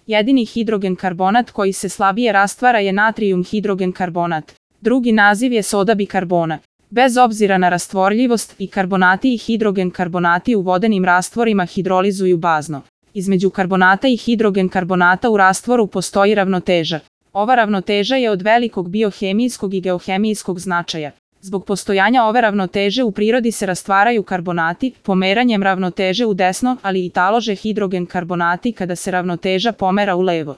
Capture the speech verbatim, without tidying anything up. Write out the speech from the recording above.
Jedini hidrogen karbonat koji se slabije rastvara je natrijum hidrogen karbonat. Drugi naziv je soda bikarbona. Bez obzira na rastvorljivost, i karbonati i hidrogen karbonati u vodenim rastvorima hidrolizuju bazno. Između karbonata i hidrogen karbonata u rastvoru postoji ravnoteža. Ova ravnoteža je od velikog biohemijskog i geohemijskog značaja. Zbog postojanja ove ravnoteže u prirodi se rastvaraju karbonati, pomeranjem ravnoteže u desno, ali i talože hidrogen karbonati kada se ravnoteža pomera u levo.